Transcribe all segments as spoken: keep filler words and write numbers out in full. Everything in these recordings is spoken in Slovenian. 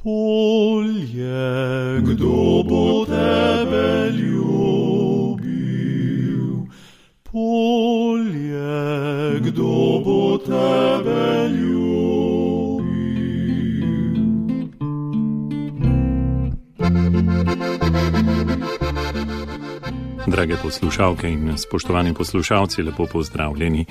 Polje, kdo bo tebe ljubil? Polje, kdo bo tebe ljubil? Drage poslušalke in spoštovani poslušalci, lepo pozdravljeni.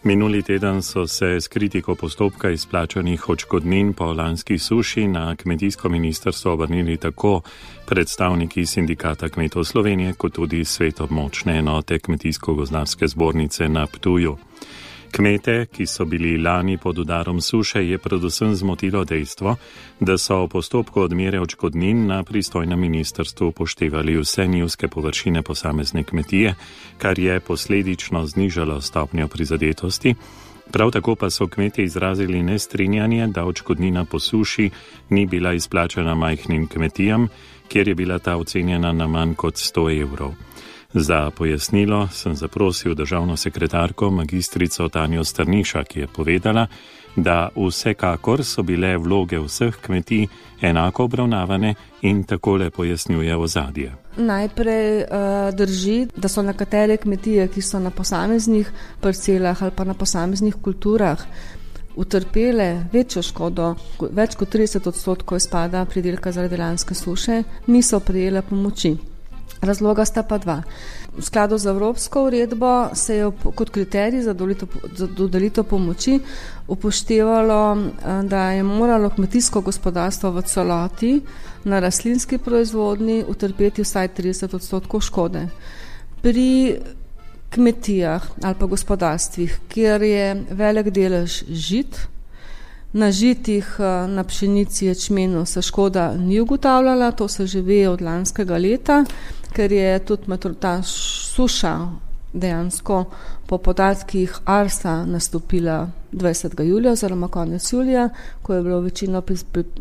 Minuli teden so se s kritiko postopka izplačanih odškodnin po lanski suši na kmetijsko ministrstvo obrnili tako predstavniki Sindikata kmetov Slovenije, kot tudi svet območne enote Kmetijsko-gozdarske zbornice na Ptuju. Kmete, ki so bili lani pod udarom suše, je predvsem zmotilo dejstvo, da so v postopku odmere odškodnin na pristojnem ministrstvu upoštevali vse njivske površine posamezne kmetije, kar je posledično znižalo stopnjo prizadetosti. Prav tako pa so kmetje izrazili nestrinjanje, da odškodnina po suši ni bila izplačana majhnim kmetijam, kjer je bila ta ocenjena na manj kot sto evrov. Za pojasnilo sem zaprosil državno sekretarko magistrico Tanjo Strniša, ki je povedala, da vsekakor so bile vloge vseh kmetij enako obravnavane in takole pojasnjuje ozadje. Najprej uh, drži, da so nekatere kmetije, ki so na posameznih parcelah ali pa na posameznih kulturah utrpele večjo škodo, več kot trideset odstotkov izpada pridelka zaradi lanske suše, niso prejele pomoči. Razloga sta pa dva. V skladu z evropsko uredbo se je kot kriterij za dodelitev pomoči upoštevalo, da je moralo kmetijsko gospodarstvo v celoti na rastlinski proizvodnji utrpeti vsaj trideset odstotkov škode. Pri kmetijah ali pa gospodarstvih, kjer je velik delež žit, na žitih, na pšenici, ječmenu se škoda ni ugotavljala, to se že ve od lanskega leta, ker je tudi ta suša dejansko po podatkih Arsa nastopila dvajsetega julija oziroma konec julija, ko je bilo večino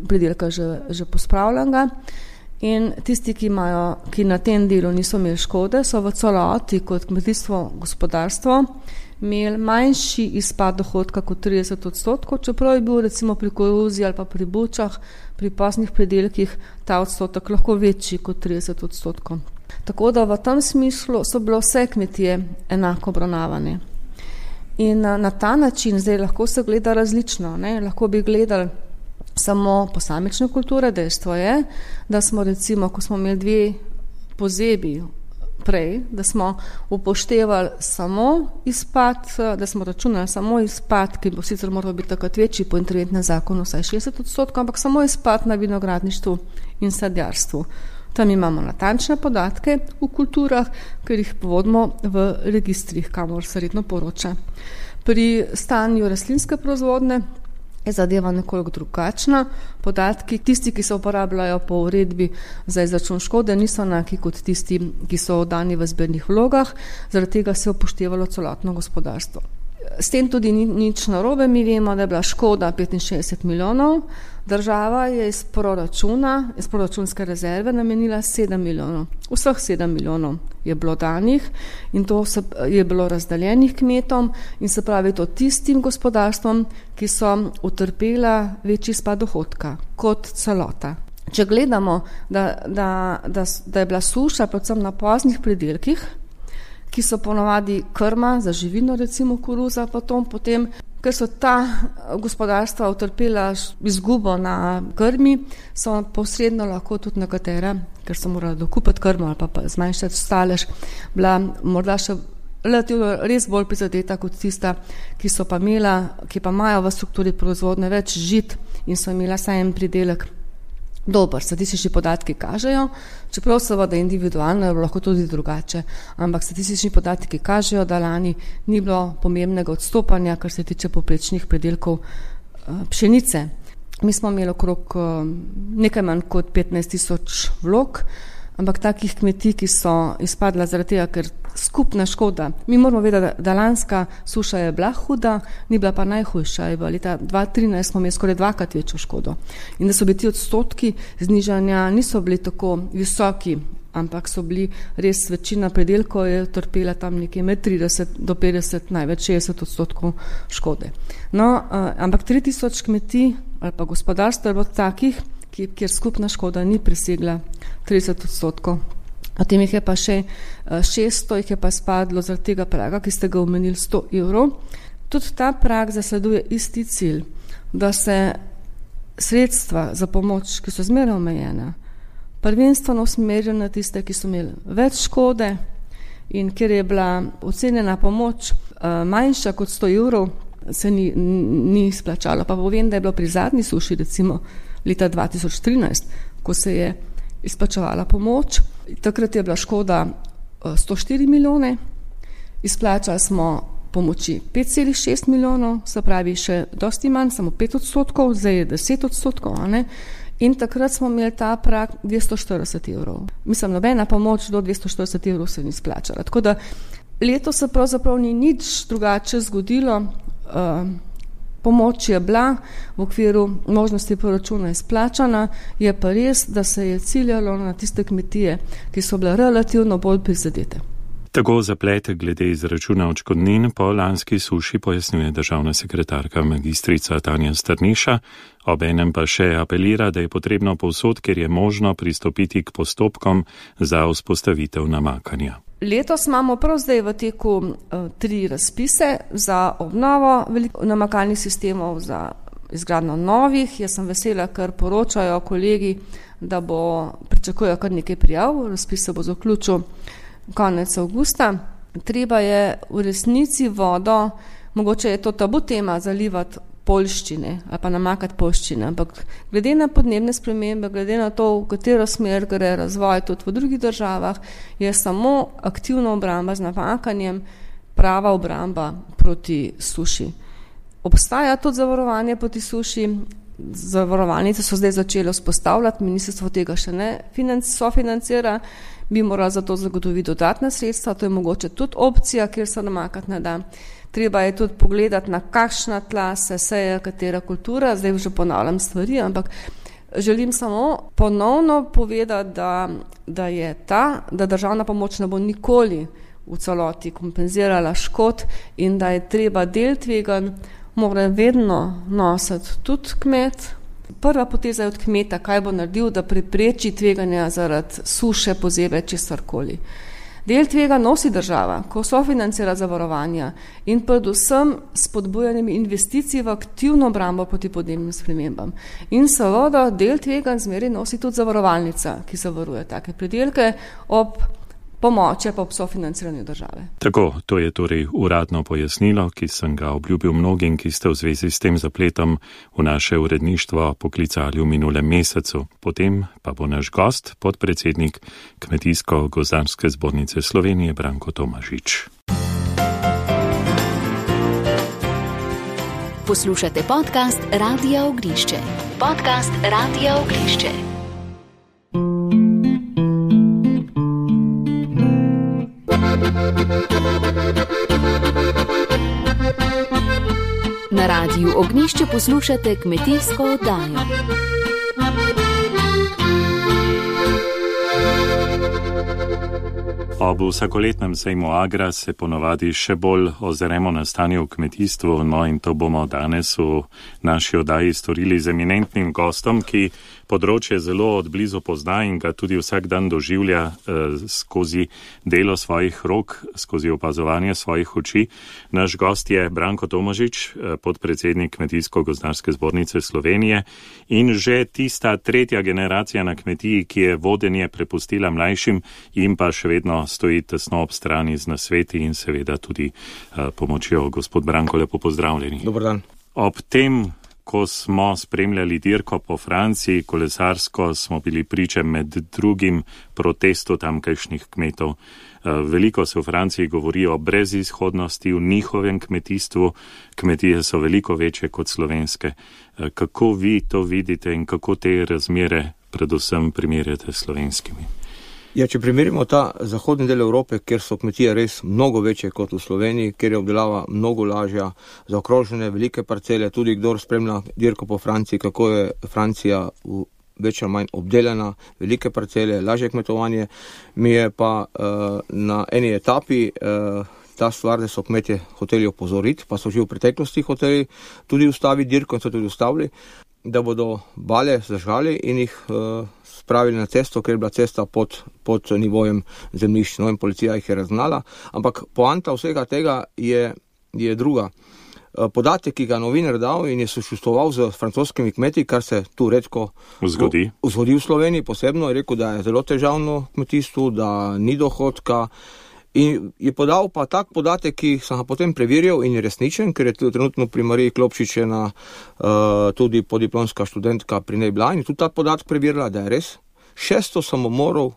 pridelka že, že pospravljenega. In tisti, ki, imajo, ki na tem delu niso imeli škode, so v celoti kot kmetijstvo gospodarstvo imeli manjši izpad dohodka kot trideset odstotkov, čeprav je bil recimo pri koruzi ali pa pri bučah, pri pasnih pridelkih ta odstotek lahko večji kot trideset odstotkov. Tako da v tem smislu so bile vse kmetije enako obravnavane. In na, na ta način zdaj lahko se gleda različno, ne? Lahko bi gledali samo posamične kulture. Dejstvo je, da smo recimo, ko smo imeli dve pozebi prej, da smo upoštevali samo izpad, da smo računali samo izpad, ki bo sicer moral biti takrat večji po interventnem zakonu, vsaj šestdeset odstotkov, ampak samo izpad na vinogradništvu in sadjarstvu. Tam imamo natančne podatke v kulturah, ker jih vodimo v registrih, kamor se redno poroča. Pri stanju rastlinske proizvodnje je zadeva nekoliko drugačna. Podatki, tisti, ki se uporabljajo po uredbi za izračun škode, niso enaki kot tisti, ki so oddani v zbirnih vlogah, zaradi tega se je upoštevalo celotno gospodarstvo. S tem tudi ni nič narobe, mi vemo, da je bila škoda petinšestdeset milijonov, država je iz proračuna, iz proračunske rezerve namenila sedem milijonov. Vseh sedem milijonov je bilo danih in to se, je bilo razdeljenih kmetom in se pravi to tistim gospodarstvom, ki so utrpela večji izpad dohodka kot celota. Če gledamo, da, da, da, da je bila suša predvsem na poznih pridelkih, ki so ponovadi krma za živino, recimo koruza, potom, potem, ker so ta gospodarstva utrpela izgubo na krmi, so posredno lahko tudi nekatera, ker so morali dokupiti krmo ali pa, pa zmanjšati stalež, bila morda še relativno res bolj prizadeta kot tista, ki so pa imela, ki pa imajo v strukturi proizvodne več žit in so imela sajem pridelek dober. Statistični podatki kažejo, čeprav seveda individualno je lahko tudi drugače, ampak statistični podatki kažejo, da lani ni bilo pomembnega odstopanja, kar se tiče povprečnih pridelkov pšenice. Mi smo imeli okrog nekaj manj kot petnajst tisoč vlog, ampak takih kmetij, ki so izpadla zaradi tega, ker skupna škoda. Mi moramo vedeti, da, da lanska suša je bila huda, ni bila pa najhujša. Je bila leta dva tisoč trinajst smo imeli skoraj dvakrat večjo škodo. In da so bili ti odstotki znižanja niso bili tako visoki, ampak so bili res večina predelkov je trpela tam nekje med trideset do petdeset, največ šestdeset odstotkov škode. No, uh, ampak tri tisoč kmetij ali pa gospodarstvo je bilo takih, kjer skupna škoda ni presegla trideset odstotkov. Potem jih je pa še šeststo, jih je pa spadlo zaradi tega praga, ki ste ga omenili, sto evrov. Tudi ta prag zasleduje isti cilj, da se sredstva za pomoč, ki so zmeraj omejena, prvenstveno usmerijo na tiste, ki so imeli več škode in ker je bila ocenjena pomoč manjša kot sto evrov, se ni, ni splačalo. Pa povem, da je bilo pri zadnji suši, recimo leta dva tisoč trinajst, ko se je izplačevala pomoč, takrat je bila škoda sto štiri milijone, izplačali smo pomoči pet celih šest milijonov, se pravi še dosti manj, samo pet odstotkov, zdaj je deset odstotkov, a ne? In takrat smo imeli ta prag dvesto štirideset evrov. Mislim, nobena pomoč do dvesto štirideset evrov se ni splačala. Tako da letos se pravzaprav ni nič drugače zgodilo. Uh, pomoč je bila v okviru možnosti proračuna izplačana, je pa res, da se je ciljalo na tiste kmetije, ki so bile relativno bolj prizadete. Tako zaplete glede izračuna odškodnin po lanski suši pojasnjuje državna sekretarka magistrica Tanja Strniša, obenem pa še apelira, da je potrebno povsod, kjer je možno pristopiti k postopkom za vzpostavitev namakanja. Letos imamo prav zdaj v teku uh, tri razpise za obnovo namakalnih sistemov, za izgradnjo novih. Jaz sem vesela, ker poročajo kolegi, da bo pričakujejo kar nekaj prijav, razpis se bo zaključil konec avgusta. Treba je v resnici vodo, mogoče je to tabu tema, zalivati poljščine ali pa namakati poljščine, ampak glede na podnebne spremembe, glede na to, v katero smer gre razvoj tudi v drugih državah, je samo aktivna obramba z namakanjem prava obramba proti suši. Obstaja tudi zavarovanje proti suši, zavarovalnice so zdaj začele vzpostavljati, ministrstvo tega še ne sofinancira, bi morali za to zagotoviti dodatna sredstva, to je mogoče tudi opcija, kjer se namakati ne da. Treba je tudi pogledati, na kakšna tla se seje katera kultura, zdaj že ponavljam stvari, ampak želim samo ponovno povedati, da, da je ta, da državna pomoč ne bo nikoli v celoti kompenzirala škod in da je treba del tveganj mora vedno nositi tudi kmet. Prva poteza je od kmeta, kaj bo naredil, da prepreči tveganja zaradi suše, pozebe, česarkoli. Del tvega nosi država, ko sofinancira zavarovanja in predvsem spodbujanjem investicij v aktivno obrambo proti podnebnim spremembam. In seveda del tvega zmeraj nosi tudi zavarovalnica, ki zavaruje take pridelke ob pomoči pa ob sofinanciranju države. Tako, to je torej uradno pojasnilo, ki sem ga obljubil mnogim, ki ste v zvezi s tem zapletom v naše uredništvo poklicali v minulem mesecu. Potem pa bo naš gost, podpredsednik Kmetijsko-gozdarske zbornice Slovenije, Branko Tomažič. Poslušate podcast Radia Ognišče. Podcast Radia Ognišče. Na Radiu Ognišče poslušate kmetijsko oddajo. Ob vsakoletnem sejmu Agra se ponovadi še bolj ozremo na stanje v kmetijstvu, no in to bomo danes v naši oddaji storili z eminentnim gostom, ki področje zelo odblizu pozna in ga tudi vsak dan doživlja eh, skozi delo svojih rok, skozi opazovanje svojih oči. Naš gost je Branko Tomažič, eh, podpredsednik Kmetijsko-gozdarske zbornice Slovenije in že tista tretja generacija na kmetiji, ki je vodenje prepustila mlajšim in pa še vedno stoji tesno ob strani z nasveti in seveda tudi uh, pomočjo. Gospod Branko, lepo pozdravljeni. Dobar dan. Ob tem, ko smo spremljali dirko po Franciji, kolesarsko, smo bili priče med drugim protestu tamkajšnjih kmetov. Uh, veliko se v Franciji govori o brezizhodnosti v njihovem kmetijstvu. Kmetije so veliko večje kot slovenske. Uh, kako vi to vidite in kako te razmere predvsem primerjate s slovenskimi? Ja, če primerimo ta zahodni del Evrope, kjer so kmetije res mnogo večje kot v Sloveniji, kjer je obdelava mnogo lažja, zaokrožene velike parcele, tudi kdor spremlja dirko po Franciji, kako je Francija v več ali manj obdelana, velike parcele, lažje kmetovanje, mi je pa uh, na eni etapi uh, ta stvar, da so kmetje hoteli opozoriti, pa so že v preteklosti hoteli tudi ustaviti dirko in so tudi ustavili. da bodo bale zažgali in jih uh, spravili na cesto, ker je bila cesta pod, pod nivojem zemljišč. No, in policija jih je raznala, ampak poanta vsega tega je, je druga. Podatek, ki ga novinar dal in je sočustvoval z francoskimi kmeti, kar se tu redko zgodi. V, zgodi v Sloveniji posebno, je rekel, da je zelo težavno kmetijstvo, da ni dohodka. In je podal pa tak podatek, ki sem ga potem preverjal in je resničen, ker je trenutno pri Mariji Klopšič ena uh, tudi podiplomska študentka pri nej bila in tudi ta podatek preverila, da je res šeststo samomorov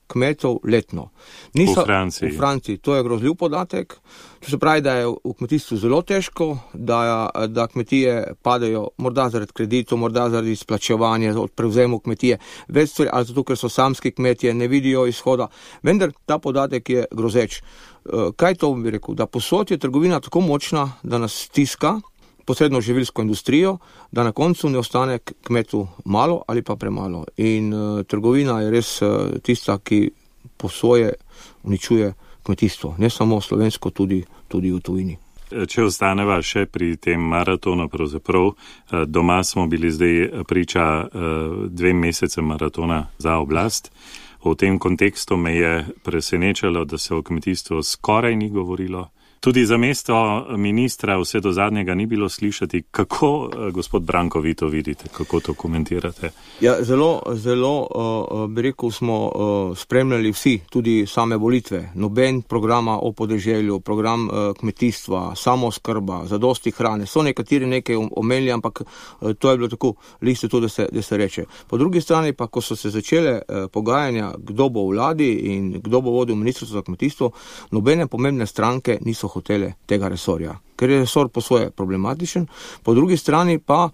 kmetov letno. Niso, v Franciji. V Franciji. To je grozljiv podatek. To se pravi, da je v kmetijstvu zelo težko, da, da kmetije padajo morda zaradi kreditov, morda zaradi izplačevanja, od prevzemu kmetije, več stvari, ali zato, ker so samski kmetije, ne vidijo izhoda. Vendar ta podatek je grozeč. Kaj to bi rekel? Da posod je trgovina tako močna, da nas stiska, posredno živilsko industrijo, da na koncu ne ostane kmetu malo ali pa premalo. In uh, trgovina je res uh, tista, ki po svoje uničuje kmetijstvo. Ne samo slovensko, tudi, tudi v tujini. Če ostaneva še pri tem maratonu, pravzaprav doma smo bili zdaj priča dvem mesecem maratona za oblast. V tem kontekstu me je presenečalo, da se o kmetijstvu skoraj ni govorilo. Tudi za mesto ministra vse do zadnjega ni bilo slišati. Kako, gospod Branko, vi to vidite? Kako to komentirate? Ja, zelo, zelo, uh, bi rekel, smo uh, spremljali vsi, tudi same volitve. Noben programa o podeželju, program uh, kmetijstva, samooskrba, zadosti hrane. So nekateri nekaj omenili, ampak uh, to je bilo tako listo to, da se, da se reče. Po drugi strani pa, ko so se začele uh, pogajanja, kdo bo v vladi in kdo bo vodil ministrstvo za kmetijstvo, nobene pomembne stranke niso hotele tega resorja, ker je resor po svoje problematičen, po drugi strani pa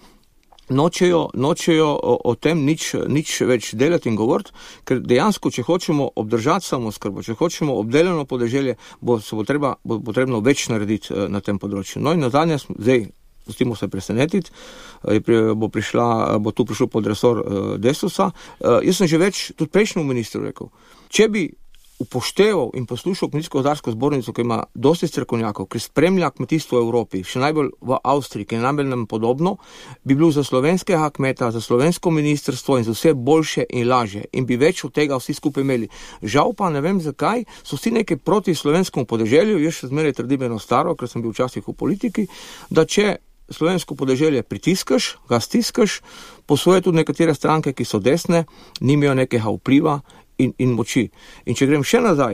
nočejo, nočejo o, o tem nič, nič več delati in govoriti, ker dejansko, če hočemo obdržati samooskrbo, če hočemo obdelano podeželje, bo se bo, treba, bo potrebno več narediti na tem področju. No in nazadnje, zdaj, pustimo se presenetiti, bo, prišla, bo tu prišel pod resor Desusa. Jaz sem že več, tudi prejšnjemu ministru rekel, če bi upošteval in poslušal kmetijsko-gozdarsko zbornico, ki ima dosti strokovnjakov, ki spremlja kmetijstvo v Evropi, še najbolj v Avstriji, ki je najbolj nam podobno, bi bil za slovenskega kmeta, za slovensko ministrstvo in za vse boljše in lažje in bi več od tega vsi skupaj imeli. Žal pa ne vem zakaj, so vsi nekaj proti slovenskemu podeželju, jaz še zmeraj trdim eno staro, ker sem bil včasih v politiki, da če slovensko podeželje pritiskaš, ga stiskaš, posvoje tudi nekatere stranke, ki so desne, nimajo nekega vpliva In, in moči. In če grem še nazaj,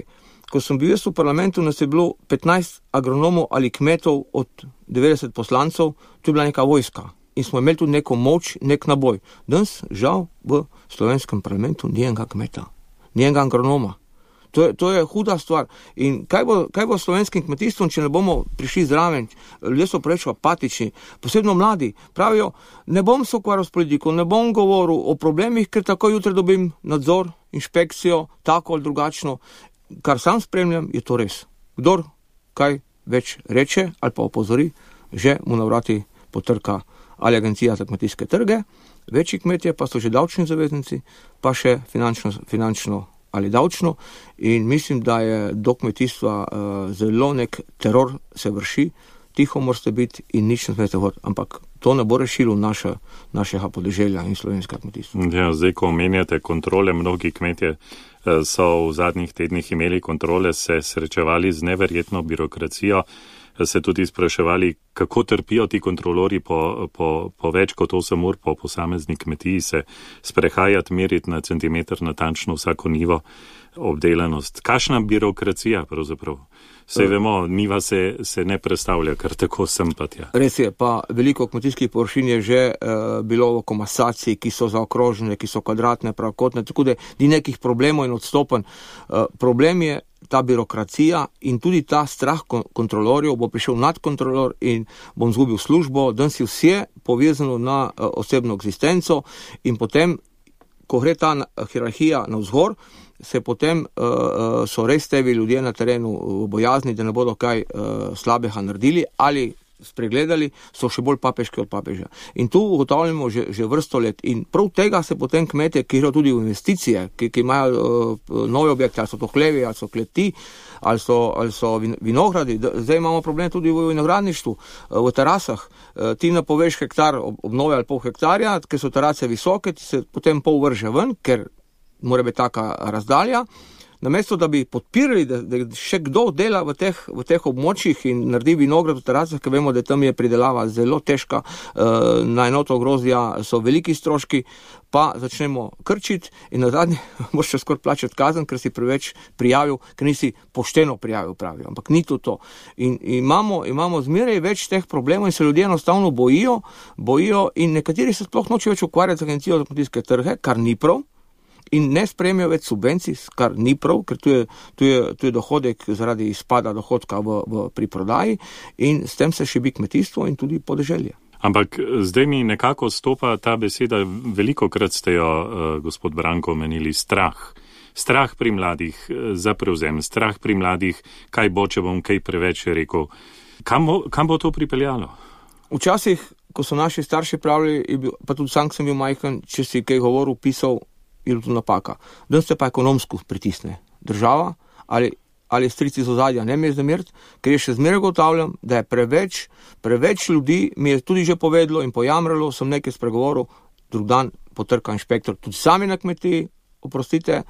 ko sem bil jaz v parlamentu, nas je bilo petnajst agronomov ali kmetov od devetdeset poslancev, to je bila neka vojska. In smo imeli tudi neko moč, nek naboj. Danes, žal, v slovenskem parlamentu ni enega kmeta, ni enega agronoma. To je, to je huda stvar. In kaj bo, kaj bo s slovenskim kmetijstvom, če ne bomo prišli zraven? Ljudje so preveč apatični, posebno mladi. Pravijo, ne bom se ukvarjal s politiko, ne bom govoril o problemih, ker tako jutri dobim nadzor, inšpekcijo, tako ali drugačno. Kar sam spremljam, je to res. Kdor kaj več reče ali pa opozori, že mu na vrati potrka ali agencija za kmetijske trge, večji kmetje pa so že davčni zaveznici, pa še finančno, finančno ali davčno, in mislim, da je do kmetijstva uh, zelo nek teror se vrši, tiho morate biti in nič ne smete hoditi, ampak to ne bo rešilo naše, našega podeželja in slovenskega kmetijstva. Ja, zdaj, ko omenjate kontrole, mnogi kmetje so v zadnjih tednih imeli kontrole, se srečevali z neverjetno birokracijo, se tudi spraševali, kako trpijo ti kontrolori po, po, po več kot osem ur po posamezni kmetiji, se sprehajati, meriti na centimeter natančno vsako nivo obdelanost. Kakšna birokracija pravzaprav? Vse vemo, niva se, se ne predstavlja, kar tako sem pa tja. Res je, pa veliko kmetijskih površin je že uh, bilo v komasaciji, ki so zaokrožene, ki so kvadratne, pravokotne, tako da ni nekih problemov in odstopanj. Uh, problem je ta birokracija in tudi ta strah kontrolorjev, bo prišel nadkontrolor in bom zgubil službo, danes je vse povezano na uh, osebno eksistenco in potem, ko gre ta hierarhija navzgor, se potem uh, so res tebi ljudje na terenu bojazni, da ne bodo kaj uh, slabega naredili ali spregledali, so še bolj papeški od papeža. In tu ugotavljamo že, že vrsto let. In prav tega se potem kmetje, ki grejo tudi v investicije, ki, ki imajo uh, nove objekte, ali so to hlevi, ali so kleti, ali so, ali so vinogradi. Zdaj imamo problem tudi v vinogradništvu, uh, v terasah. Uh, ti napoveš hektar obnove ali pol hektarja, ker so terase visoke, ti se potem pol vrže ven, ker mora biti taka razdalja. Namesto, da bi podpirali, da, da še kdo dela v teh, v teh območjih in naredi vinograd v terasah, ker vemo, da tam je pridelava zelo težka, uh, na enoto grozdja so veliki stroški, pa začnemo krčiti in na zadnje moraš še skoraj plačati kazen, ker si preveč prijavil, ker nisi pošteno prijavil, pravijo. Ampak ni to to. In imamo, imamo zmeraj več teh problemov in se ljudje enostavno bojijo, bojijo in nekateri se sploh noče več ukvarjati z agencijo za kmetijske trge, kar ni prav. In ne sprejmejo več subvencij, kar ni prav, ker tu je, tu je, tu je dohodek zaradi izpada dohodka v, v, pri prodaji in s tem se šibi kmetijstvo in tudi podeželje. Ampak zdaj mi nekako stopa ta beseda, veliko krat ste jo, uh, gospod Branko, omenili, strah. Strah pri mladih za prevzem, strah pri mladih, kaj bo, če bom kaj preveč rekel. Kam bo, kam bo to pripeljalo? Včasih, ko so naši starši pravili, pa tudi sam sem bil majhen, če si kaj govoril, pisal, je to napaka. Danes se pa ekonomsko pritisne država ali, ali strici z ozadja, ne mi je zameriti, ker je še zmeraj ugotavljam, da je preveč, preveč ljudi, mi je tudi že povedalo in pojamralo, sem nekaj spregovoril, drug dan potrka inšpektor, tudi sami na kmetiji, oprostite,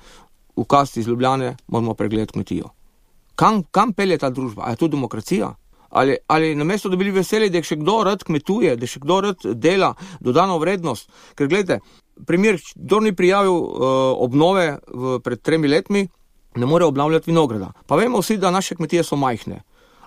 v kasti iz Ljubljane moramo pregledati kmetijo. Kam, kam pelje ta družba? A je to demokracija? Ali, ali namesto, da bili veseli, da je še kdo rad kmetuje, da še kdo rad dela dodano vrednost. Ker gledajte, primer, kdo ni prijavil uh, obnove v, pred tremi letmi, ne more obnavljati vinograda. Pa vemo vsi, da naše kmetije so majhne.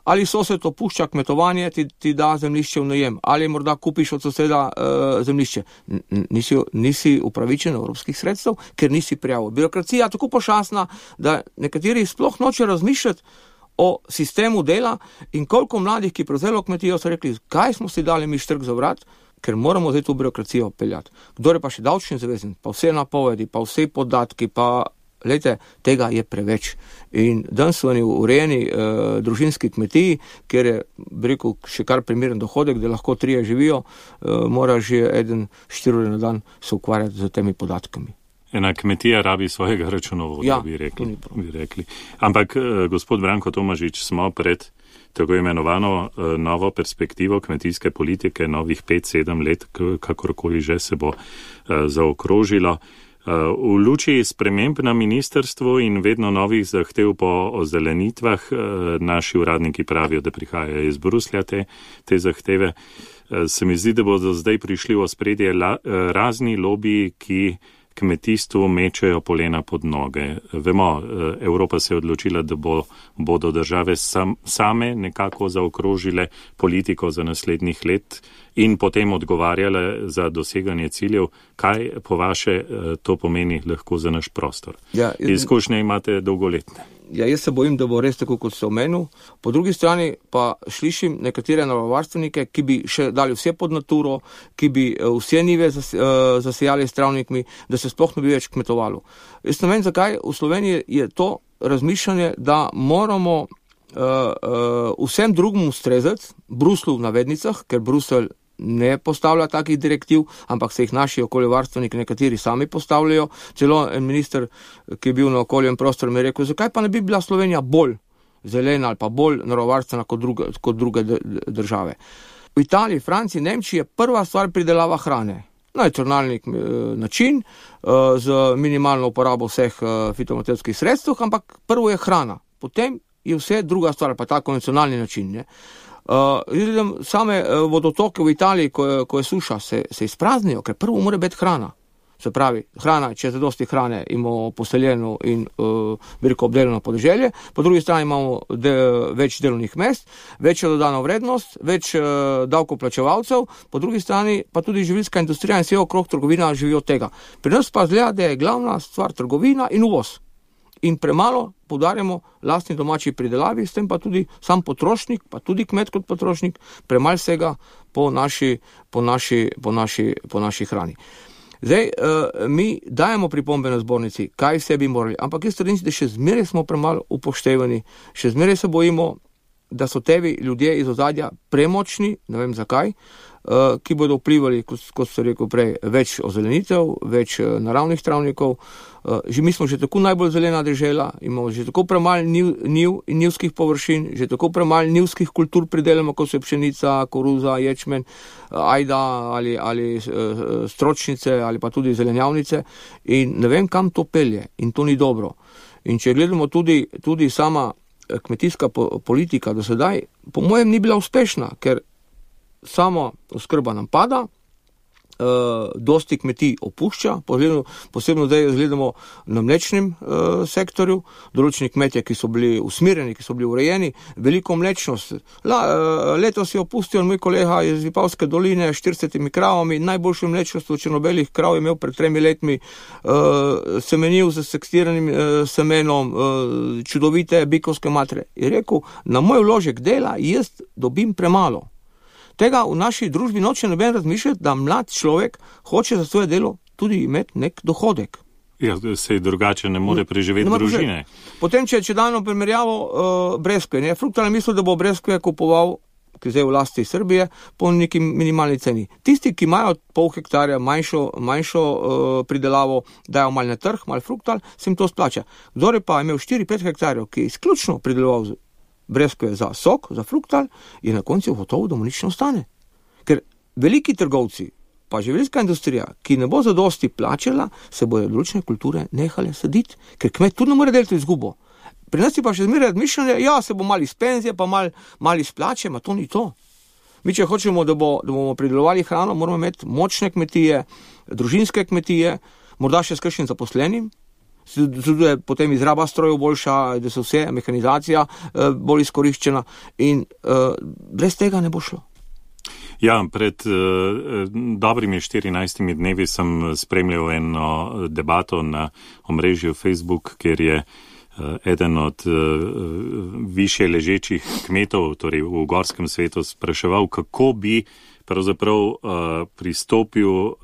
Ali sosed opušča kmetovanje, ti, ti da zemljišče v najem, ali morda kupiš od soseda uh, zemljišče. N- nisi, nisi upravičen evropskih sredstev, ker nisi prijavil. Birokracija je tako pošasna, da nekateri sploh noče razmišljati o sistemu dela in koliko mladih, ki prevzelo kmetijo, so rekli, kaj smo si dali mi štrk za vrat, ker moramo zdaj tu birokracijo peljati. Kdor je pa še davčni zavezan, pa vse napovedi, pa vse podatki, pa lejte, tega je preveč. In danes so oni urejeni eh, družinski kmetiji, kjer je, bi rekel, še kar primeren dohodek, da lahko trije živijo, eh, mora že eden štiri ure na dan se ukvarjati z temi podatkami. Ena kmetija rabi svojega računovoda, ja, bi, rekli, bi rekli. Ampak, gospod Branko Tomažič, smo pred tako imenovano uh, novo perspektivo kmetijske politike, novih pet, sedem let, kakorkoli že se bo uh, zaokrožilo. Uh, v luči sprememb na ministrstvu in vedno novih zahtev po ozelenitvah, uh, naši uradniki pravijo, da prihajajo iz Bruslja te, te zahteve. Uh, se mi zdi, da bodo zdaj prišli v ospredje la, uh, razni lobiji, ki kmetijstvu mečejo polena pod noge. Vemo, Evropa se je odločila, da bo, bodo države sam, same nekako zaokrožile politiko za naslednjih let in potem odgovarjale za doseganje ciljev. Kaj po vaše to pomeni lahko za naš prostor? Ja, izkušnje imate dolgoletne. Ja, jaz se bojim, da bo res tako, kot se omenil. Po drugi strani pa slišim nekatere naravovarstvenike, ki bi še dali vse pod naturo, ki bi vse nive zasejali s travnikmi, da se sploh ne bi več kmetovalo. Jaz ne vem, zakaj v Sloveniji je to razmišljanje, da moramo uh, uh, vsem drugim ustrezati, Bruslu v navednicah, ker Bruselj ne postavlja takih direktiv, ampak se jih naši okoljevarstveniki nekateri sami postavljajo. Celo en minister, ki je bil na okoljem prostoru, mi je rekel, zakaj pa ne bi bila Slovenija bolj zelena ali pa bolj naravovarstvena kot druge, kot druge države. V Italiji, Franciji, Nemčiji je prva stvar pridelava hrane. Nacionalni način, z minimalno uporabo vseh fitomaterskih sredstev, ampak prvo je hrana. Potem je vse druga stvar, pa ta konvencionalni način, ne. Uh, same uh, vodotoke v Italiji, ko je, ko je suša, se, se izpraznijo, ker prvo mora biti hrana. Se pravi, hrana, če je zadosti hrane, imamo poseljeno in uh, veliko obdelano podeželje, po drugi strani imamo de, več delovnih mest, večjo dodano vrednost, več uh, davkoplačevalcev, po drugi strani pa tudi živilska industrija in vse okrog trgovina živijo od tega. Pri nas pa zgleda, da je glavna stvar trgovina in uvoz. In premalo poudarjamo lastni domači pridelavi, s tem pa tudi sam potrošnik, pa tudi kmet kot potrošnik, premalo vsega po naši, po naši, po naši, po naši hrani. Zdaj, uh, mi dajemo pripombe na zbornici, kaj vse bi morali, ampak jaz trdim, da še zmeraj smo premalo upoštevani, še zmeraj se bojimo, da so tevi ljudje iz ozadja premočni, ne vem zakaj, uh, ki bodo vplivali, kot, kot ste rekel prej, več ozelenitev, več uh, naravnih travnikov. Uh, že mi smo že tako najbolj zelena dežela, imamo že tako premalj niv, niv in nivskih površin, že tako premalj nivskih kultur pridelamo, kot so pšenica, koruza, ječmen, ajda ali, ali uh, stročnice ali pa tudi zelenjavnice in ne vem, kam to pelje in to ni dobro. In če gledamo tudi, tudi sama kmetijska po, politika do sedaj, po mojem ni bila uspešna, ker samo oskrba nam pada, e, dosti kmetij opušča, posebno, posebno zdaj gledamo na mlečnem e, sektorju, določeni kmetje, ki so bili usmirjeni, ki so bili urejeni, veliko mlečnost. La, e, letos je opustil moj kolega iz Vipavske doline s štiridesetimi kravami, najboljšo mlečnost v črnobelih krav je imel pred tremi letmi, e, semenil z sekstiranim e, semenom, e, čudovite bikovske matre. Je rekel, na moj vložek dela jaz dobim premalo. Tega v naši družbi noče noben razmišljati, da mlad človek hoče za svoje delo tudi imeti nek dohodek. Ja, se drugače ne more preživeti ne družine. Preživeti. Potem, če, če dajmo primerjavo uh, breskve, ne, Fruktal je mislil, da bo breskve kupoval, ki je zdaj v lasti Srbije, po neki minimalni ceni. Tisti, ki imajo pol hektarja manjšo, manjšo uh, pridelavo, dajo mal na trg, mal Fruktal, se jim to splača. Kdor je pa imel štiri pet hektarjev, ki je izključno prideloval breskve za sok, za Fruktal, je na koncu gotovo, da mu nič ne ostane. Ker veliki trgovci, pa živilska industrija, ki ne bo zadosti plačala, se bojo določene kulture nehale saditi, ker kmet tudi ne more deliti izgubo. Pri nas je pa še zmeraj razmišljanje, ja, se bo mal iz penzije, pa mal, mal iz plače, ma to ni to. Mi, če hočemo, da, bo, da bomo pridelovali hrano, moramo imeti močne kmetije, družinske kmetije, morda še s kakšnim zaposlenim, tudi je potem izraba strojev boljša, da so vse, mehanizacija eh, bolj izkoriščena in eh, brez tega ne bo šlo. Ja, pred uh, dobrimi štirinajstimi dnevi sem spremljal eno debato na omrežju Facebook, kjer je uh, eden od uh, više ležečih kmetov, torej v gorskem svetu, spraševal, kako bi pravzaprav uh, pristopil uh,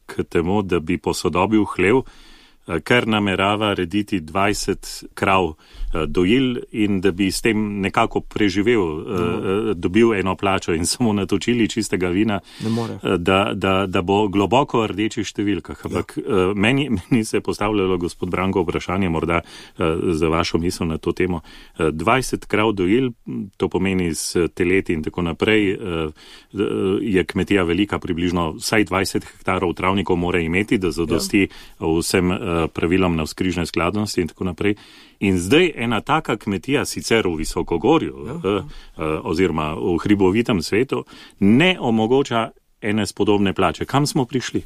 k temu, da bi posodobil hlev, kar namerava rediti dvajset krav dojil in da bi s tem nekako preživel, no. dobil eno plačo in samo natočili čistega vina, da, da, da bo globoko v rdečih številkah. Ampak ja. meni, meni se je postavljalo, gospod Branko, vprašanje morda za vašo misel na to temo. dvajset krav dojil, to pomeni s teleti in tako naprej, je kmetija velika, približno vsaj dvajset hektarov travnikov mora imeti, da zadosti ja. vsem pravilom na vzkrižne skladnosti in tako naprej. In zdaj ena taka kmetija, sicer v Visokogorju ja. eh, oziroma v hribovitem svetu, ne omogoča ene spodobne plače. Kam smo prišli?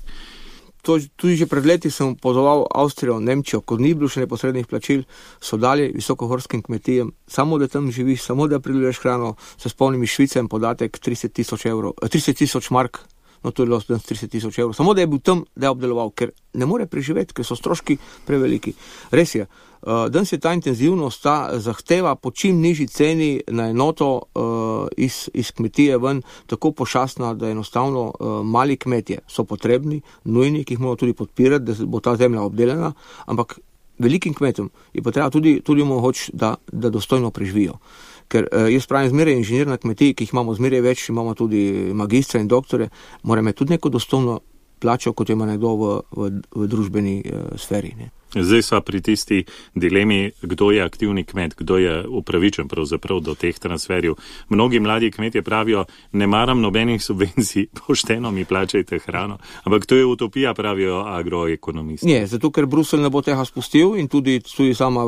To, tudi že pred leti sem pozval Avstrijo, Nemčijo, ko ni bilo še neposrednih plačil, so dali visokogorskim kmetijam, samo da tam živiš, samo da prideluješ hrano, se spomnim iz Švice podatek trideset tisoč evrov, trideset tisoč mark. No, to je bilo trideset tisoč evrov. Samo da je bil tam, da je obdeloval, ker ne more preživeti, ker so stroški preveliki. Res je, uh, danes je ta intenzivnost, ta zahteva po čim nižji ceni na enoto uh, iz, iz kmetije ven tako pošastna, da enostavno uh, mali kmetje so potrebni, nujni, ki jih moramo tudi podpirati, da bo ta zemlja obdelana, ampak velikim kmetom je pa treba tudi, tudi mogoč, da, da dostojno preživijo. Ker eh, jaz pravim zmeraj inženir na kmetiji, ki jih imamo zmeraj več, imamo tudi magistra in doktore, mora imeti tudi neko dostojno plačo, kot ima nekdo v, v, v družbeni eh, sferi. Ne. Zdaj sva pri tisti dilemi, kdo je aktivni kmet, kdo je upravičen pravzaprav do teh transferjev. Mnogi mladi kmetje pravijo, ne maram nobenih subvencij, pošteno mi plačajte hrano, ampak to je utopija, pravijo agroekonomisti. Ne, zato ker Bruselj ne bo tega spustil in tudi, tudi sama,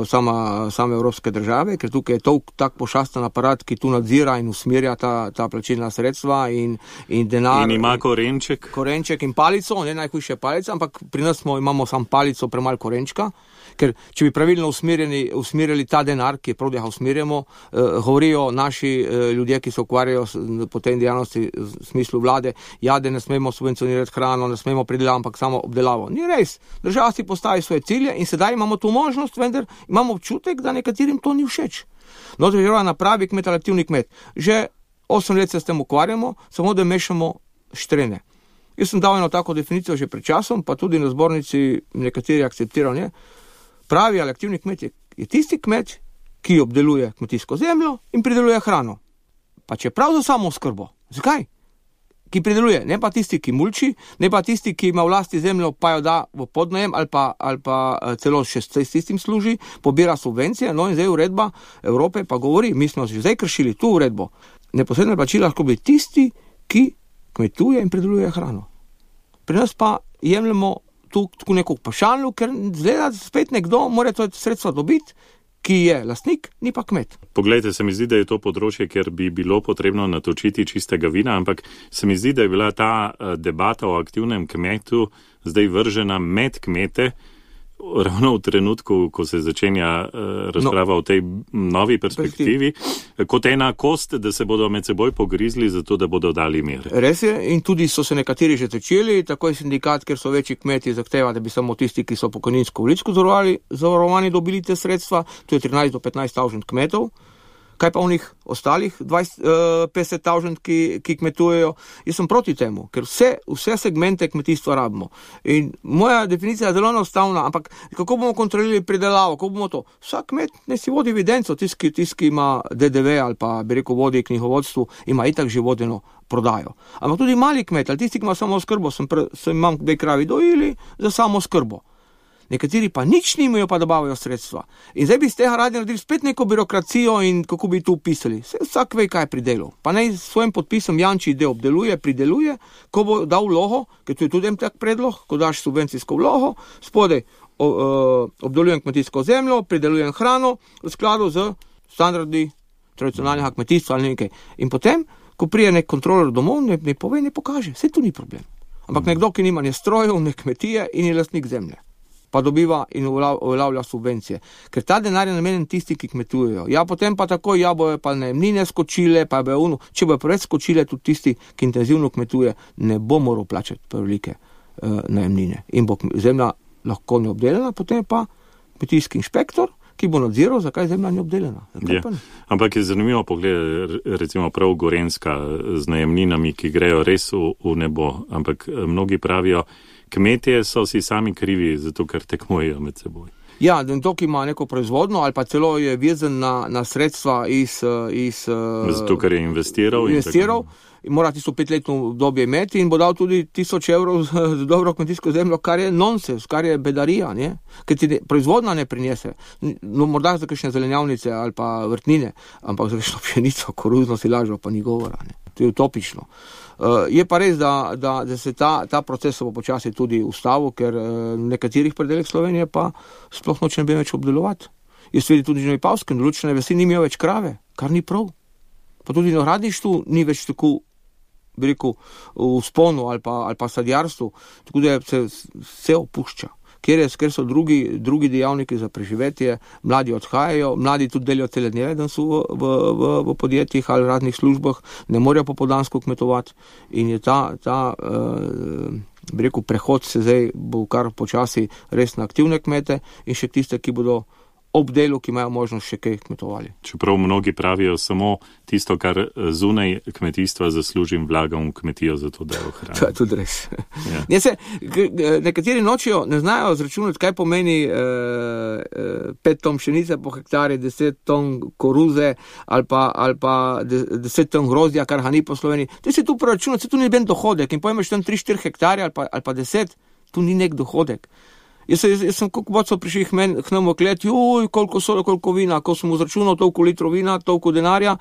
sama, same evropske države, ker tukaj je to tak pošasten aparat, ki tu nadzira in usmerja ta, ta plačilna sredstva in, in denar. In ima korenček. Korenček in palico, ne najhujše palica, ampak pri nas smo, imamo sam palico, premal korenčka, ker če bi pravilno usmerjeni, usmerjali ta denar, ki je prav, da ga usmerjamo, eh, govorijo naši eh, ljudje, ki se ukvarjajo s, po tej dejavnosti v smislu vlade, ja, da ne smemo subvencionirati hrano, ne smemo pridelati, ampak samo obdelavo. Ni res. Država si postavi svoje cilje in sedaj imamo tu možnost, vendar imamo občutek, da nekaterim to ni všeč. No, to je napravi kmet ali aktivni kmet. Že osem let se s tem ukvarjamo, samo da mešamo štrene. Jaz sem dal eno tako definicijo že pred časom, pa tudi na zbornici nekateri akceptirajo, ne. Pravi ali aktivni kmet je, je tisti kmet, ki obdeluje kmetijsko zemljo in prideluje hrano. Pa čeprav za samo oskrbo. Zakaj? Ki prideluje, ne pa tisti, ki mulči, ne pa tisti, ki ima v lasti zemljo, pa jo da v podnajem ali pa, ali pa celo še s tistim služi, pobira subvencije, no in zdaj uredba Evrope pa govori, mi smo že zdaj kršili tu uredbo. Neposredne plačila lahko bi tisti, ki kmetuje in prideluje hrano. Pri nas pa jemljemo tu tako neko vprašalno, ker zgleda spet nekdo mora to sredstva dobiti, ki je lastnik, ni pa kmet. Poglejte, se mi zdi, da je to področje, kjer bi bilo potrebno natočiti čistega vina, ampak se mi zdi, da je bila ta debata o aktivnem kmetu zdaj vržena med kmete, ravno v trenutku, ko se začenja razprava no, o tej novi perspektivi, kot ena kost, da se bodo med seboj pogrizli, zato da bodo dali mir. Res je, in tudi so se nekateri že začeli, tako je sindikat, ker so večji kmeti zahteva, da bi samo tisti, ki so pokojninsko vličko zavarovani, dobili te sredstva, to je trinajst do petnajst tisoč kmetov. Kaj pa onih ostalih dvajset, petdeset tisoč, ki, ki kmetujejo? Jaz sem proti temu, ker vse, vse segmente kmetijstva rabimo. In moja definicija je zelo enostavna, ampak kako bomo kontrolirali pridelavo, kako bomo to? Vsak kmet ne si vodi evidenco, tisti, ki ima D D V ali pa bi rekel vodi knjigovodstvu, ima itak že vodeno prodajo. Ampak tudi mali kmet, ali tisti, ki ima samo oskrbo, sem, pre, sem imam dve kravi dojili za samo oskrbo. Nekateri pa nič nimajo, pa dobavajo sredstva. In zdaj bi z tega radi naredili spet neko birokracijo in kako bi tu pisali. Vsak ve, kaj je pridelal. Pa naj s svojim podpisom jamči, da obdeluje, prideluje, ko bo dal vlogo, ker to je tudi en tak predlog, ko daš subvencijsko vlogo, spodaj obdelujem kmetijsko zemljo, pridelujem hrano v skladu z standardi tradicionalnega kmetijstva ali nekaj. In potem, ko prije nek kontroler domov, ne, ne pove, ne pokaže. Vse tu ni problem. Ampak mm. nekdo, ki nima ne strojev, ne kmetije in je lastnik zemlje, pa dobiva in uveljavlja subvencije. Ker ta denar je namenjen tisti, ki kmetujejo. Ja, potem pa tako, ja, bojo pa najemnine skočile, pa bojo uno. Če bojo preveč skočile, tudi tisti, ki intenzivno kmetuje, ne bo moral plačati prevelike uh, najemnine. In bo zemlja lahko neobdelana, potem pa kmetijski inšpektor, ki bo nadziral, zakaj zemlja ni obdelana. Je. Ampak je zanimivo pogled, recimo prav Gorenjska z najemninami, ki grejo res v, v nebo, ampak mnogi pravijo, kmetje so si sami krivi, zato ker tekmujejo med seboj. Ja, to, ki ima neko proizvodno ali pa celo je vezan na, na sredstva iz... iz zato, ker je investiral. Investiral in, in mora tisto petletno obdobje imeti in bo dal tudi tisoč evrov za dobro kmetijsko zemljo, kar je nonsens, kar je bedarija, ne? Ker ti ne, proizvodna ne prinese. No, morda za kakšne zelenjavnice ali pa vrtnine, ampak za kakšno pšenico, koruzno silažo pa ni govora, ne? To je utopično. Uh, je pa res, da, da, da se ta, ta proces bo počasi tudi ustavil, ker uh, nekaterih predelih Slovenije pa sploh noče ne bi več obdelovati. Jaz vidim tudi že na Vipavskem, določene vasi nimajo več krave, kar ni prav. Pa tudi na gradništvu ni več tako, bi rekel, v vzponu ali pa, ali pa sadjarstvu, tako da se vse opušča. Ker, je, ker so drugi, drugi dejavniki za preživetje, mladi odhajajo, mladi tudi delijo cele dneve, da so v, v, v, v podjetjih ali raznih službah, ne morejo popoldansko kmetovati in je ta, ta uh, bi rekel, prehod se zdaj bo kar počasi res na aktivne kmete in še tiste, ki bodo ob delu, ki imajo možnost še kaj kmetovali. Čeprav mnogi pravijo samo tisto, kar zunaj kmetijstva zaslužim, vlagam v kmetijo za to, da jo hranim. To je tudi res. Ja. Se, nekateri nočijo, ne znajo zračunati, kaj pomeni eh, pet ton pšenice po hektarju, deset ton koruze ali pa, ali pa deset ton grozdja, kar ga ni po Sloveniji. Te se tu proračunati, se tu ni ben dohodek in pojmeš tam tri štiri hektarje ali pa, ali pa deset, tu ni nek dohodek. Jaz, jaz, jaz sem koliko bocov prišli k nam v klet, juj, koliko soda, koliko vina, ko sem vzračunal toliko litrov vina, toliko denarja.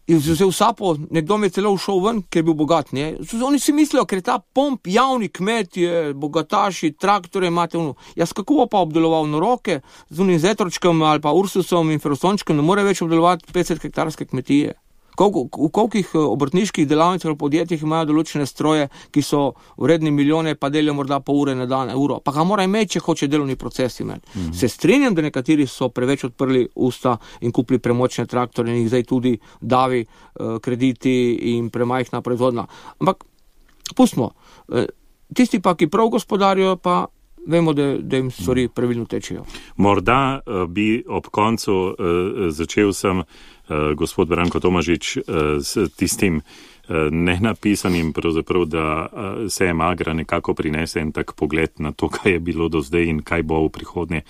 In vzel sapo, nekdo mi je celo všel ven, ker je bil bogat, ne. Oni si mislijo, ker je ta pomp javni kmet, je bogataši, traktore imate ono. Jaz kako bo pa obdeloval na roke, z unim zetročkom ali pa ursusom in ferostončkom, ne more več obdelovati petdeset hektarske kmetije. Koliko, v kolikih obrtniških delavnicah ali podjetjih imajo določene stroje, ki so vredni milijone, pa delijo morda pol ure na dan, uro. Pa ga mora imeti, če hoče delovni proces imeti. Mm-hmm. Se strinjam, da nekateri so preveč odprli usta in kupili premočne traktore in jih zdaj tudi davi uh, krediti in premajhna proizvodna. Ampak pustimo. Uh, tisti pa, ki prav gospodarijo, pa vemo, da, da jim stvari pravilno tečejo. Morda uh, bi ob koncu uh, začel sem Uh, gospod Branko Tomažič, uh, s tistim nenapisanim, pravzaprav, da sejem Agra nekako prinese en tak pogled na to, kaj je bilo do zdaj in kaj bo v prihodnje.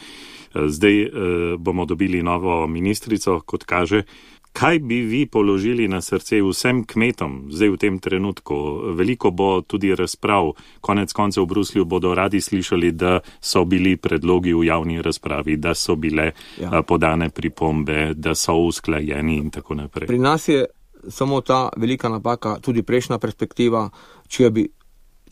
Zdaj bomo dobili novo ministrico, kot kaže. Kaj bi vi položili na srce vsem kmetom zdaj v tem trenutku? Veliko bo tudi razprav. Konec koncev v Bruslju bodo radi slišali, da so bili predlogi v javni razpravi, da so bile ja. podane pripombe, da so usklajeni in tako naprej. Pri nas je samo ta velika napaka, tudi prejšnja perspektiva, če bi,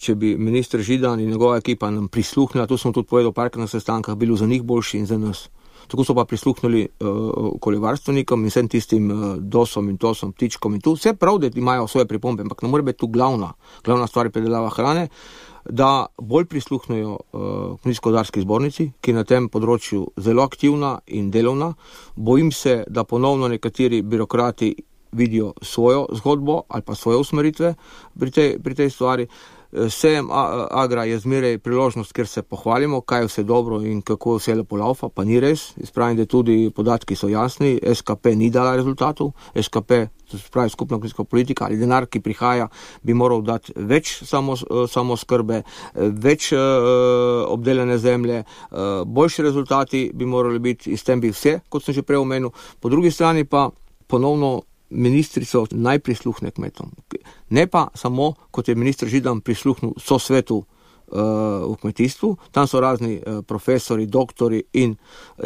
če bi minister Židan in njegova ekipa nam prisluhnila, to sem tudi povedal parkrat na sestankah, bilo za njih boljši in za nas. Tako so pa prisluhnili uh, okoljevarstvenikom in vsem tistim uh, dosom in tosom, ptičkom in tu. Vse prav, da imajo svoje pripombe, ampak ne more biti tu glavna, glavna stvar je predelava hrane, da bolj prisluhnejo uh, kmetijsko-gozdarski zbornici, ki je na tem področju zelo aktivna in delovna. Bojim se, da ponovno nekateri birokrati vidijo svojo zgodbo ali pa svoje usmeritve pri tej, pri tej stvari. Sejem Agra je zmeraj priložnost, ker se pohvalimo, kaj je vse dobro in kako vse lepo laufa, pa ni res. Spravim, da tudi podatki so jasni, S K P ni dala rezultatov, S K P, to se pravi skupna kmetijska politika ali denar, ki prihaja, bi moral dati več samo, samo skrbe, več uh, obdelane zemlje, uh, boljši rezultati bi morali biti, in s tem bi vse, kot sem že prej omenil. Po drugi strani pa ponovno ministrico naj prisluhne kmetom. Ne pa samo, kot je minister Židan prisluhnil so svetu uh, v kmetijstvu, tam so razni uh, profesori, doktori in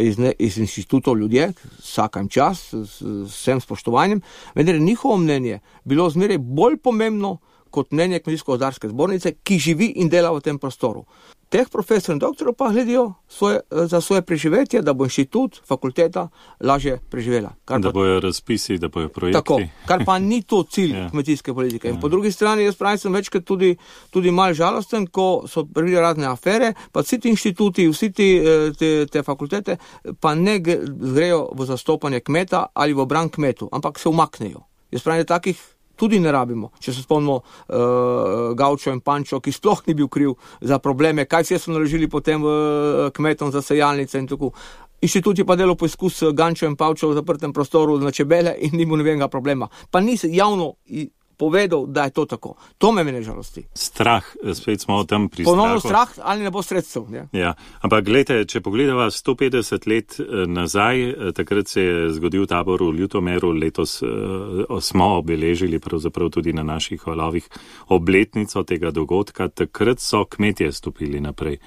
iz, ne, iz inštitutov ljudje, vsakem čas, s vsem spoštovanjem, vendar njihovo mnenje bilo zmeraj bolj pomembno kot mnenje kmetijsko-gozdarske zbornice, ki živi in dela v tem prostoru. Teh profesorov in doktorov pa gledijo svoje, za svoje preživetje, da bo inštitut, fakulteta lažje preživela. Kar da pa, bojo razpisi, da bojo projekti. Tako, kar pa ni to cilj ja. kmetijske politike. In ja. po drugi strani, jaz pravim, sem večkrat tudi, tudi mal žalosten, ko so prvi razne afere, pa vsi ti inštituti, vsi ti, te, te fakultete, pa ne grejo v zastopanje kmeta ali v obran kmetu, ampak se umaknejo. Jaz pravim, da takih tudi ne rabimo. Če se spomnimo uh, Gaučo in Pančo, ki sploh ni bil kriv za probleme, kaj vse so naložili potem uh, kmetom za sejalnice in tako. Inštitut je pa delal poizkus Gančo in Pavčo v zaprtem prostoru na čebele in ni mu nobenega problema. Pa ni javno povedal, da je to tako. To me mene žalosti. Strah, spet smo o tem pri Ponovno strahu. strah ali ne bo sredstev. Ja. Ja, ampak gledajte, če pogledava sto petdeset let nazaj, takrat se je zgodil tabor v Ljutomeru, letos uh, smo obeležili pravzaprav tudi na naših valovih obletnico tega dogodka, takrat so kmetje stopili naprej.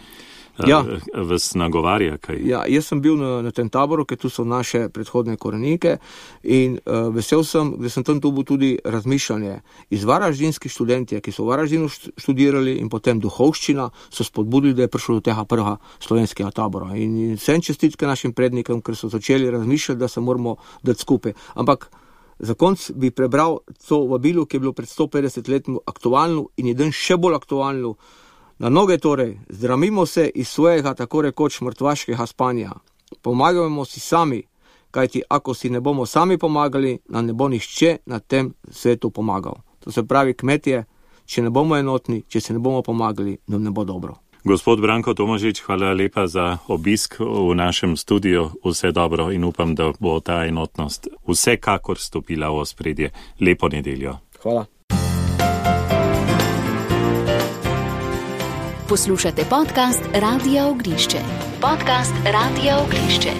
Ja. Vas nagovarja kaj? Ja, jaz sem bil na, na tem taboru, ker tu so naše predhodne korenike in uh, vesel sem, da sem tam tu bil tudi razmišljanje. Iz varaždinski študentje, ki so v Varaždinu študirali in potem duhovščina, so spodbudili, da je prišlo do tega prvega slovenskega tabora. In, in vsem čestitke našim prednikom, ker so začeli razmišljati, da se moramo dati skupaj. Ampak za konc bi prebral to vabilo, ki je bilo pred sto petdeset letmi aktualno in je dan še bolj aktualno. Na noge torej, zdramimo se iz svojega tako rekoč mrtvaškega spanja. Pomagajmo si sami, kajti ako si ne bomo sami pomagali, nam ne bo nihče na tem svetu pomagal. To se pravi kmetje, če ne bomo enotni, če se ne bomo pomagali, nam ne bo dobro. Gospod Branko Tomažič, hvala lepa za obisk v našem studiu. Vse dobro in upam, da bo ta enotnost vsekakor stopila v ospredje. Lepo nedeljo. Hvala. Poslušate podcast Radia Ognišče. Podcast Radia Ognišče.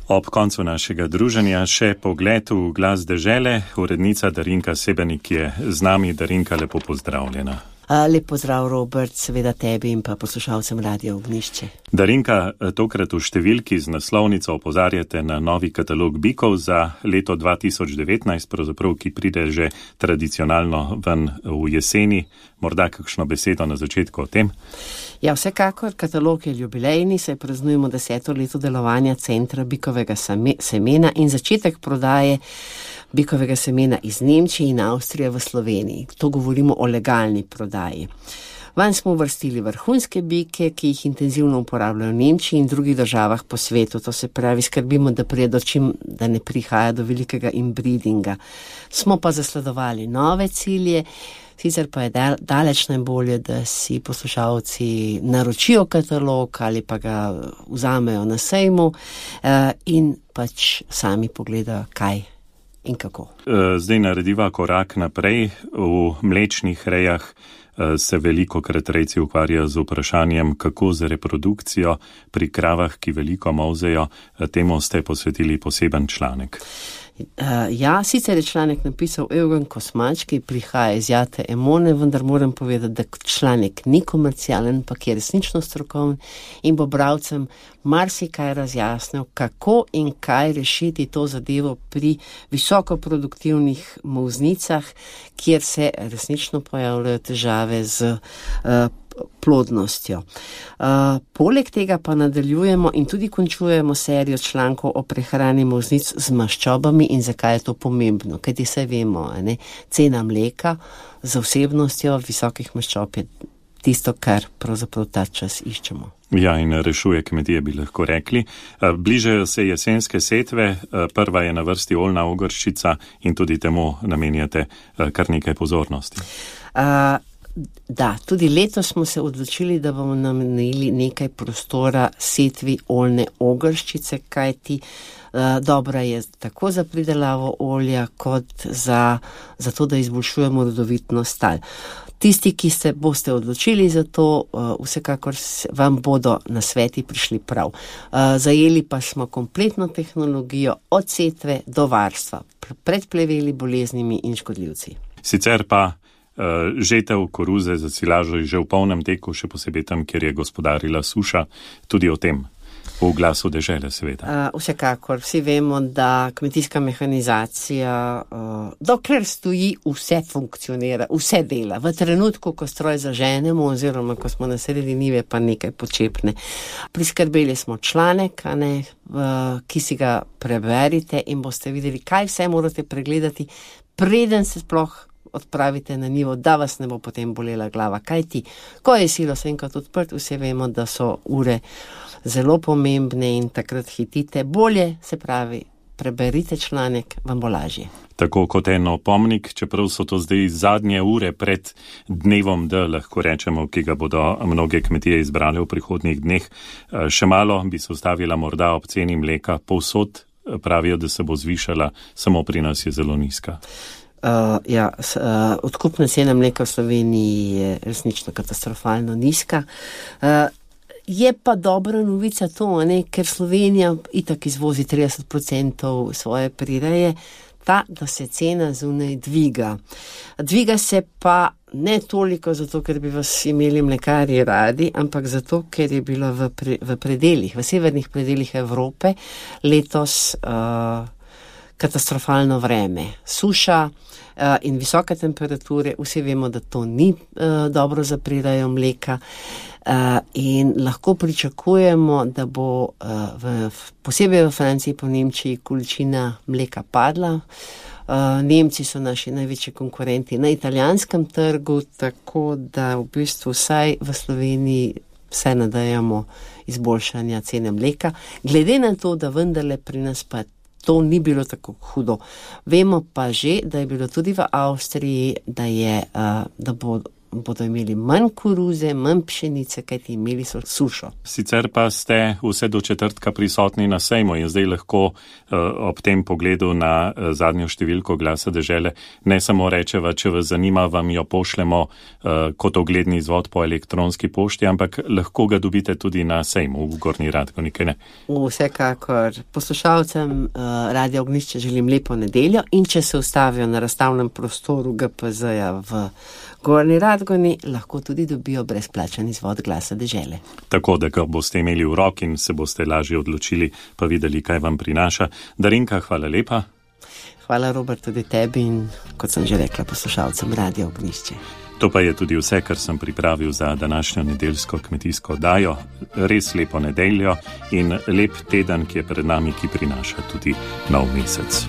Ob koncu našega druženja še pogled v glas dežele. Urednica Darinka Sebenik je z nami. Darinka, lepo pozdravljena. Lep pozdrav, Robert, seveda tebi in pa poslušalcem Radia Ognišče. Darinka, tokrat v številki z naslovnico opozarjate na novi katalog bikov za leto dva tisoč devetnajst, pravzaprav, ki pride že tradicionalno ven v jeseni. Morda kakšno besedo na začetku o tem? Ja, vsekakor, katalog je jubilejni, saj praznujemo deseto leto delovanja Centra bikovega semena in začetek prodaje bikovega semena iz Nemčije in Avstrije v Sloveniji. To govorimo o legalni prodaji. Vanj smo uvrstili vrhunske bike, ki jih intenzivno uporabljajo v Nemčiji in drugih državah po svetu. To se pravi, skrbimo, da prije do čim, da ne prihaja do velikega inbreedinga. Smo pa zasledovali nove cilje, sicer pa je daleč najbolje, da si poslušalci naročijo katalog ali pa ga vzamejo na sejmu in pač sami pogledajo, kaj in kako. Zdaj narediva korak naprej. V mlečnih rejah se veliko krat rejci ukvarjajo z vprašanjem, kako z reprodukcijo pri kravah, ki veliko molzejo. Temu ste posvetili poseben članek. Uh, ja, sicer je članek napisal Eugen Kosmač, ki prihaja iz Jate Emone, vendar moram povedati, da članek ni komercialen, pa je resnično strokoven in bo bralcem marsikaj razjasnil, kako in kaj rešiti to zadevo pri visokoproduktivnih molznicah, kjer se resnično pojavljajo težave z uh, plodnostjo. Uh, poleg tega pa nadaljujemo in tudi končujemo serijo člankov o prehrani molznic z maščobami in zakaj je to pomembno. Kajti saj vemo, ne, cena mleka za vsebnostjo visokih maščob je tisto, kar pravzaprav ta čas iščemo. Ja, in rešuje kmetije, bi lahko rekli. Bližajo se jesenske setve, prva je na vrsti oljna ogrščica in tudi temu namenjate kar nekaj pozornosti. Uh, Da, tudi letos smo se odločili, da bomo namenili nekaj prostora setvi oljne ogrščice, kajti uh, dobra je tako za pridelavo olja, kot za, za to, da izboljšujemo rodovitnost tal. Tisti, ki se boste odločili za to, uh, vsekakor vam bodo nasveti prišli prav. Uh, zajeli pa smo kompletno tehnologijo od setve do varstva, pred pleveli, boleznimi in škodljivci. Sicer pa Uh, žetev koruze za silažo je že v polnem teku, še posebej tam, kjer je gospodarila suša, tudi o tem v glasu dežele seveda. Uh, vsekakor, vsi vemo, da kmetijska mehanizacija, uh, dokler stoji, vse funkcionira, vse dela. V trenutku, ko stroj zaženemo oziroma ko smo na sredi njive, pa nekaj počepne. Priskrbeli smo članek, a ne, uh, ki si ga preberite in boste videli, kaj vse morate pregledati, preden se sploh odpravite na njivo, da vas ne bo potem bolela glava. Kaj ti? Ko je silos enkrat odprt, vsi vemo, da so ure zelo pomembne in takrat hitite. Bolje, se pravi, preberite članek, vam bo lažje. Tako kot en opomnik, čeprav so to zdaj zadnje ure pred dnevom D, lahko rečemo, ki ga bodo mnoge kmetije izbrali v prihodnjih dneh. Še malo bi se ustavila morda ob ceni mleka. Povsod pravijo, da se bo zvišala, samo pri nas je zelo nizka. Uh, ja, s, uh, odkupna cena mleka v Sloveniji je resnično katastrofalno nizka. Uh, je pa dobra novica to, ne, ker Slovenija itak izvozi trideset procentov svoje prireje, ta, da se cena zunaj dviga. Dviga se pa ne toliko zato, ker bi vas imeli mlekarji radi, ampak zato, ker je bilo v, pre, v predeljih, v severnih predeljih Evrope letos uh, katastrofalno vreme. Suša uh, in visoke temperature, vsi vemo, da to ni uh, dobro za prirejo mleka uh, in lahko pričakujemo, da bo uh, v, posebej v Franciji, po Nemčiji, količina mleka padla. Uh, Nemci so naši največji konkurenti na italijanskem trgu, tako da v bistvu vsaj v Sloveniji vse nadejamo izboljšanja cene mleka. Glede na to, da vendarle pri nas pa to ni bilo tako hudo. Vemo pa že, da je bilo tudi v Avstriji, da, je, uh, da bo, bodo imeli manj koruze, manj pšenice, kajti imeli so sušo. Sicer pa ste vse do četrtka prisotni na sejmu in zdaj lahko uh, ob tem pogledu na uh, zadnjo številko Glasa dežele ne samo rečeva, če vas zanima, vam jo pošljemo uh, kot ogledni izvod po elektronski pošti, ampak lahko ga dobite tudi na sejmu v Gornji Radgoni, kaj ne? Vsekakor. Poslušalcem uh, Radia Ognjišče želim lepo nedeljo in če se ustavijo na razstavnem prostoru G P Z-ja v Gornji Radgoni, lahko tudi dobijo brezplačen izvod Glasa dežele. Tako, da ga boste imeli v roki in se boste lažje odločili, pa videli, kaj vam prinaša. Darinka, hvala lepa. Hvala, Robert, tudi tebi in, kot sem že rekla, poslušalcem Radia Ognjišče. To pa je tudi vse, kar sem pripravil za današnjo nedeljsko kmetijsko oddajo. Res lepo nedeljo in lep teden, ki je pred nami, ki prinaša tudi nov mesec.